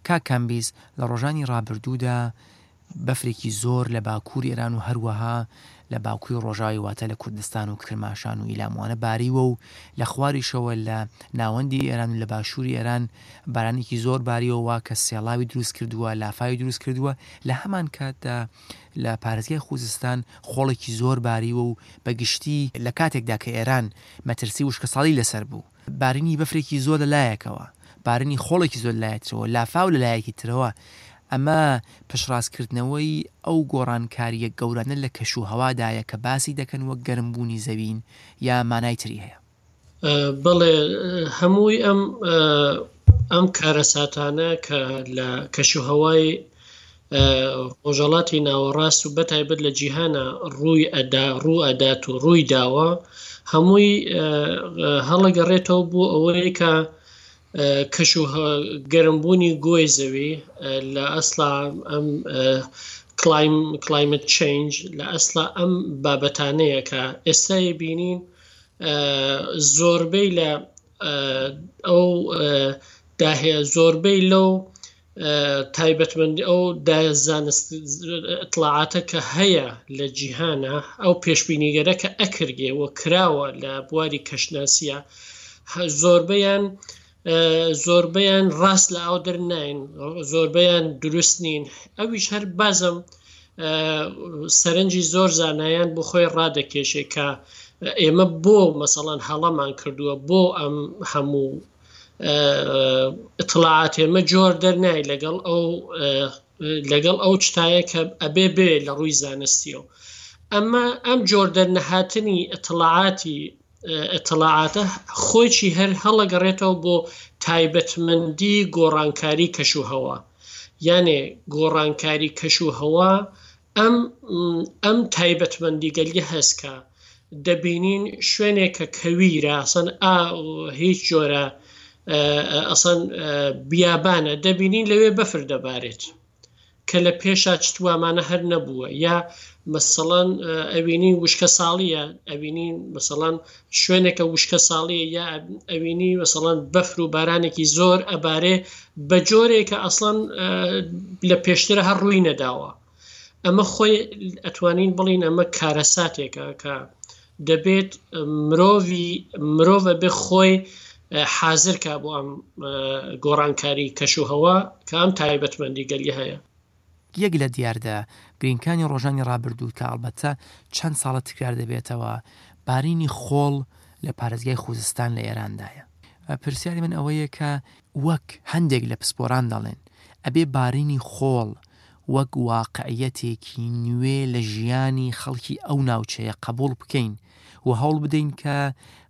کاک کامبیز، لە ڕۆژانی ڕابردوودا بەفرێکی زۆر لە باکووری ئێران و هەروەها لە باکووری ڕۆژاوای واتە لە کوردستان و کرماشان و ئیلام وانە باریوە و لە خواریشەوە لە ناوەندی ئێران و لە باشووری ئێران بارانێکی زۆر باریوە وا کە سێڵاوی دروست کردووە، لافاوی دروست کردووە، لە هەمان کاتدا لە پارێزگای خوزستان خۆڵێکی زۆر باریوە و بە گشتی لە کاتێکدا کە ئێران مەترسی وشکەساڵی لەسەر بوو. بارینی بەفرێکی زۆر لە لایەکەوە، بارینی خۆڵێکی زۆر لە لایەک ترەوە، لافاو لە لایەکی ترەوە، ئەمە پشتڕاستکردنەوەی ئەو گۆڕانکارییە گەورانە لە کەشوهەوادایە کە باسی دەکەن وەک گەرمبوونی زەوین یا مانای تری هەیە؟ بەڵێ، هەمووی ئەم ئەم کارەساتانە کە لە کەشوهەوای ڕۆژهەڵاتی ناوەڕاست و بەتایبەت لە جیهانە ڕووی ئەدا ڕوو ئەدات و ڕووی داوە هەمووی هەڵەگەڕێتەوە بۆ ئەوەی کە کەش و گەرمبوونی گۆی زەوی لە ئەسلا ئەم کلایم کلایمت چینج لە ئەسلا ئەم بابەتانەیە کە ئێستای بینین زۆربەی لە ئەو داهەیە زۆربەی لەو تایبەتمەندی ئەو زانست اطلاعاتە کە هەیە لە جیهانە ئەو پێشبینیگەرە کە ئەکرگێ و کراوە لە بواری کەشناسیە زۆربەیان زۆربەیان ڕاست لە ئاو دەرناین زۆربەیان دروست نین ئەویش هەر بازم سەرنجی زۆر زانایان بۆ خۆی ڕادەکێشێ کە ئێمە بۆ مەسەڵەن هەڵەمان کردووە بۆ ئەم هەموو اطلاعات ئێمە جۆر دەرنای لەگەڵ ئەو لەگەڵ ئەو شتایە کە ئەبێ بێ لە ڕووی زانستیەوە ئەمە ئەم جۆر دەرنەهاتنی اطلاعاتی اطلاعاتە خۆیی هەر هەڵەگەڕێتەوە بۆ تایبەتمەندی گۆڕانکاری کەش و هەوا یانێ گۆڕانکاری کەش و هەوا ئەم ئەم تایبەتمەندیگەلیە هەس کە دەبینین شوێنێک کە کەویرە ئەسەن ئا هیچ جۆرە ئەسەن بیابانە دەبینین لەوێ بەفر دەبارێت کە لە پێشا چتوامانە هەر نەبووە یا مەسەڵەن ئەوینی وشکە ساڵیە ئەوینی مەسەڵەن شوێنێکە وشکە ساڵیە یا ئەوینی مەسەڵەن بەفر و بارانێکی زۆر ئەبارێ بە جۆرێکە ئەسڵەن لە پێشترە هەر ڕووی نەداوە ئەمە خۆی ئەتوانین بڵین ئەمە کارەساتێکە کە دەبێت مرۆڤی مرۆڤ بێ خۆی حازر کا بۆ ئەم گۆڕانکاری کەش و هەوا کە ئەم تایبەتمەندی گەلی هەیە. یەک لە دیاردە گرینگکانی ڕۆژانی ڕابردوو کە ئەڵبەتە چەند ساڵە تکرار دەبێتەوە، بارینی خۆڵ لە پارێزگای خوزستان لە ئێراندایە. پرسیاری من ئەوەیە کە وەک هەندێک لە پسپۆران دەڵێن، ئەبێ بارینی خۆڵ وەک واقعیەتێکی نوێ لە ژیانی خەڵکی ئەو ناوچەیە قەبوڵ بکەین و هەوڵ بدەین کە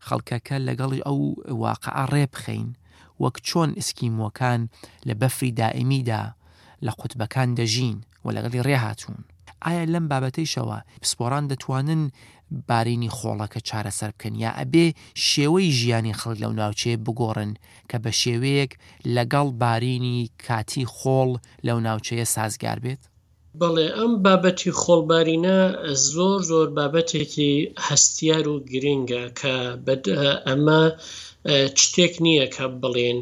خەڵکەکە لەگەڵ ئەو واقعە ڕێ بخەین وەک چۆن ئسکیمۆکان لە بەفری دائیمیدا لە قوتبەکان دەژین و لەگەڵی ڕێ هاتوون. ئایا لەم بابەتەیشەوە پسپۆڕان دەتوانن بارینی خۆڵەکە چارەسەر بکەن یا ئەبێ شێوەی ژیانی خەڵک لەو ناوچەیە بگۆڕن کە بە شێوەیەک لەگەڵ بارینی کاتی خۆڵ لەو ناوچەیە سازگار بێت؟ بەڵێ ئەم بابەتی خۆڵبارینە زۆر زۆر بابەتێکی هەستیار و گرینگە کە ئەمە شتێک نییە کە بڵێن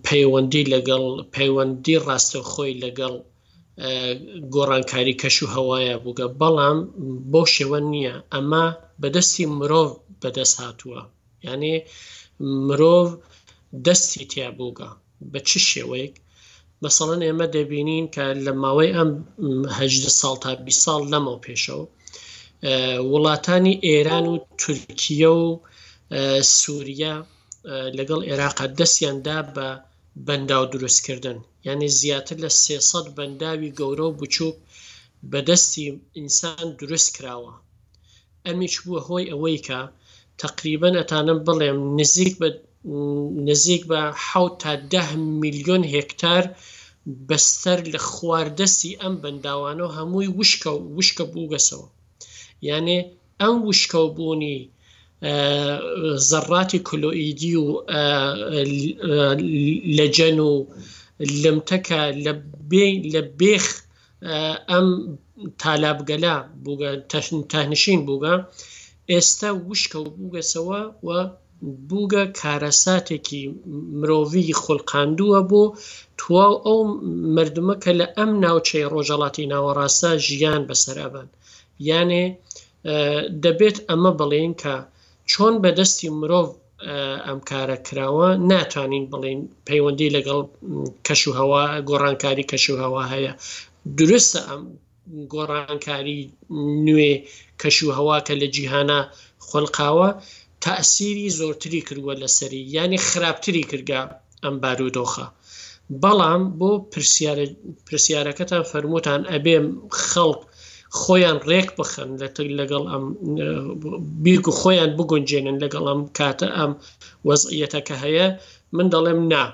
پەیوەندی لەگەڵ پەیوەندی ڕاستەوخۆی لەگەڵ گۆڕانکاری کەش و هەوایە بووگە بەڵام بەو شێوە نییە ئەمە بەدەستی مرۆڤ بەدەست هاتووە یعنی مرۆڤ دەستی تیا بووگە بە چ شێوەیەک مەسەڵەن ئێمە دەبینین کە لە ماوەی ئەم هەدە ساڵ تا 20 ساڵ لەمەوە پێشەوە وڵاتانی ئێران و تورکیە و سووریا لەگەڵ عێراقا دەستیان دا بە بەنداو دروستکردن یعنی زیاتر لە 300 بەنداوی گەورە و بچووک بەدەستی ئینسان دروست کراوە ئەمیش بووە هۆی ئەوەی کە تەقریبەن ئەتانم بڵێم نزیک بە نزیک بە حەوت تا دە میلیۆن هێکتار بەستەر لە خوار دەستی ئەم بەنداوانەوە هەمووی وشکە و وشکە بووگەسەوە یانێ ئەم وشکەوبوونی زەڕاتی کلۆئیدی و لەجەن و لمتەکە لە لە بێخ ئەم تالابگەلە بووگە تەهنشین بووگە ئێستا وشکە و بووگەسەوە و. بووگە کارەساتێکی مرۆڤی خولقاندووە بۆ تواو ئەو مردمە کە لە ئەم ناوچەی ڕۆژەڵاتی ناوەڕاستە ژیان بەسەر ئەبەن. یانێ دەبێت ئەمە بڵێین کە چۆن بە دەستی مرۆڤ ئەم کارە کراوە ناتوانین بڵێین پەیوەندی لەگەڵ کەش و هەوا گۆڕانکاری کەش و هەوا هەیە دروستە ئەم گۆڕانکاری نوێ کەش و هەوا کە لە جیهانە خۆلقاوە تەئسیری زۆرتری کردووە لەسەری یانی خراپتری کردگە ئەم بارودۆخە بەڵام بۆ پرسیارە پرسیارەکەتان فەرمووتان ئەبێ خەڵک خۆیان ڕێک بخەن لە لەگەڵ ئەم بیرگ و خۆیان بگونجێنن لەگەڵ ئەم کاتە ئەم وەزعیەتە کە هەیە من دەڵێم نا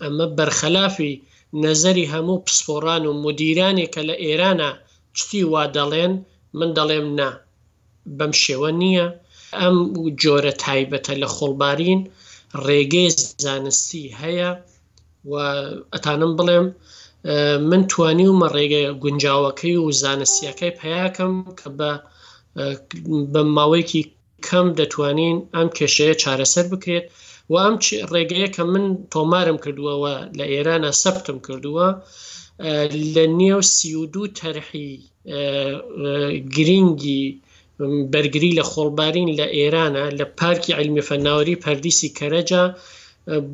ئەمە بەرخەلافی نەزەری هەموو پسپۆڕان و مدیرانێک کە لە ئێرانە چتی وا دەڵێن من دەڵێم نا بەم شێوە نییە. ئەم جۆرە تایبەتە لە خۆڵبارین ڕێگەی زانستی هەیە و ئەتانم بڵێم من توانیومە ڕێگە گونجاوەکەی و زانستیەکەی پیاکەم کە بە بە ماوەیەکی کەم دەتوانین ئەم کێشەیە چارەسەر بکرێت و ئەم ڕێگەیە کە من تۆمارم کردووە و لە ئێرانە سەبتم کردووە لە نێو 32 تەرحی گرینگی بەرگری لە خۆڵبارین لە ئێرانە لە پارکی عیلمی فەناوەری پەردیسی کەرەجە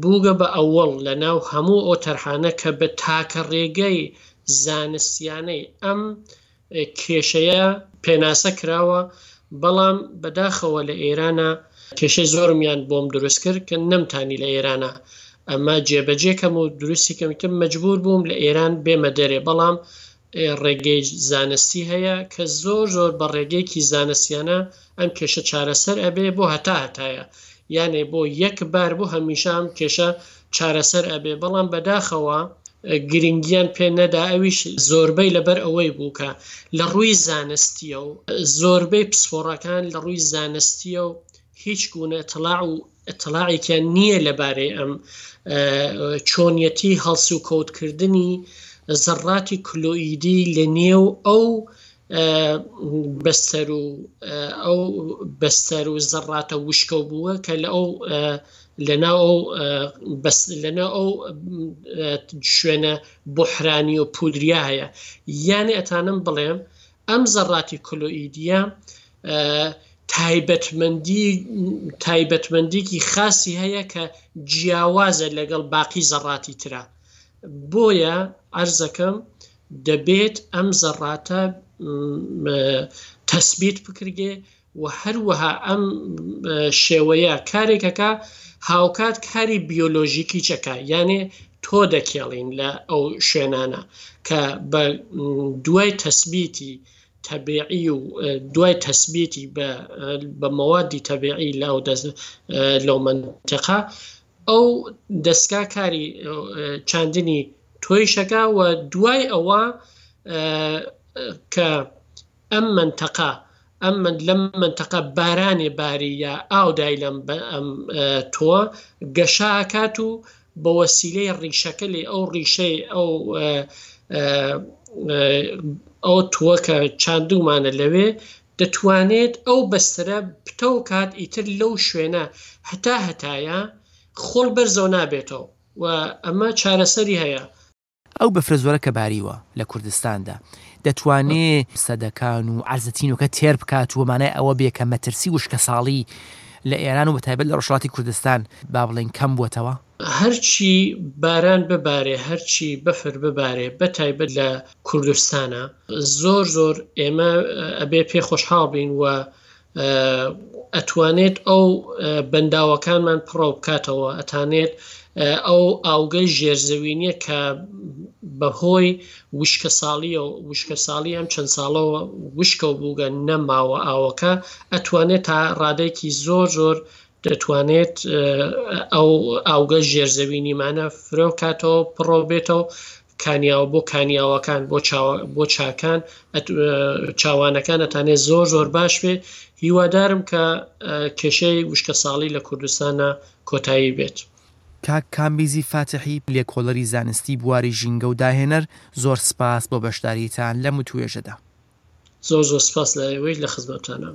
بووگە بە ئەوەڵ لە ناو هەموو ئەو تەرحانە کە بە تاکە ڕێگەی زانستیانەی ئەم کێشەیە پێناسە کراوە بەڵام بەداخەوە لە ئێرانە کێشەی زۆرمیان بۆم دروست کرد کە نەمتانی لە ئێرانە ئەمە جێبەجێ کەم و دروستی کەم مەجبور بووم لە ئێران بێمە دەرێ بەڵام ڕێگەی زانستی هەیە کە زۆر زۆر بە ڕێگەیەکی زانستیانە ئەم کێشە چارەسەر ئەبێ بۆ هەتا هەتایە یانێ بۆ یەک بار بۆ هەمیشە ئەم کێشە چارەسەر ئەبێ بەڵام بەداخەوە گرنگیان پێ نەدا ئەویش زۆربەی لەبەر ئەوەی بوو کە لە ڕووی زانستیە و زۆربەی پسپۆڕەکان لە ڕووی زانستیە و هیچ گونە اطلاع و اطلاعێکیان نییە لەبارەی ئەم چۆنیەتی هەڵسوکەوتکردنی زەڕاتی کلۆئیدی لە نێو ئەو بەستەر و ئەو بەستەر و زەڕاتە وشکە بووە کە لە ئەو لەناو ئەو بەس لەناو ئەو شوێنە بحرانی و پودریا هەیە یانێ ئەتانم بڵێم ئەم زەڕاتی کلۆئیدیە تایبەتمەندی تایبەتمەندیکی خاسی هەیە کە جیاوازە لەگەڵ باقی زەڕاتی ترا بۆیە عەرزەکەم دەبێت ئەم زەڕاتە تەسبیت بکرگێ و هەروەها ئەم شێوەیە کارێکەکە هاوکات کاری بیۆلۆژیکی چەکە یانێ تۆ دەکێڵین لە ئەو شوێنانە کە بە دوای تەسبیتی تەبیعی و دوای تەسبیتی بە مەوادی تەبیعی لە ئەو دەست لەو مەنتیقە ئەو دەستگا کاری چاندنی تۆیشەکە و دوای ئەوە کە ئەم مەنتەقە ئەم من لەم مەنتەقە بارانێ باری یا ئاو دای لەم ئەم تۆ گەشە ئەکات و بە وەسیلەی ڕیشەکە لێ ئەو ڕیشەی ئەو ئەو تۆ کە چاندومانە لەوێ دەتوانێت ئەو بەستەرە پتەو کات ئیتر لەو شوێنە هەتا هەتایە خۆڵ بەرزەوە نابێتەوە و ئەمە چارەسەری هەیە. ئەو بەفرە زۆرە کە باریوە لە کوردستاندا دەتوانێ سەدەکان و عەرزە تینوەکە تێر بکات و مانای ئەوە بێ کە مەترسی وشکەساڵی لە ئێران و بەتایبەت لە ڕۆژهەڵاتی کوردستان با بڵێین کەم بووەتەوە؟ هەرچی باران ببارێ هەرچی بەفر ببارێ بە تایبەت لە کوردستانا زۆر زۆر ئێمە ئەبێ پێ خۆشحاڵ بین و ئەتوانێت ئەو بەنداوەکانمان پڕەو بکاتەوە ئەتانێت ئەو ئاوگەی ژێرزەوینیە کە بەهۆی وشکە ساڵیە و وشکە ساڵی ئەم چەند ساڵەوە وشکە و بووگە نەماوە ئاوەکە ئەتوانێت تا ڕادێکی زۆر زۆر دەتوانێت ئەو ئاوگە ژێرزەوینیمانە فرۆ کاتەوە پڕۆ بێتەوە کانیاوە بۆ کانیاوەکان بۆ بۆ چاکان چاوانەکان ئەتانێت زۆر زۆر باش بێ هیوادارم کە کێشەی وشکە ساڵی لە کوردستانە کۆتایی بێت. کاک کامبیزی فاتحی، لێکۆڵەری زانستی بواری ژینگە و داهێنەر، زۆر سپاس بۆ بەشداریتان لەم وتوێژەدا. زۆر زۆر سپاس لە ئێوەیش لە خزمەتتانام.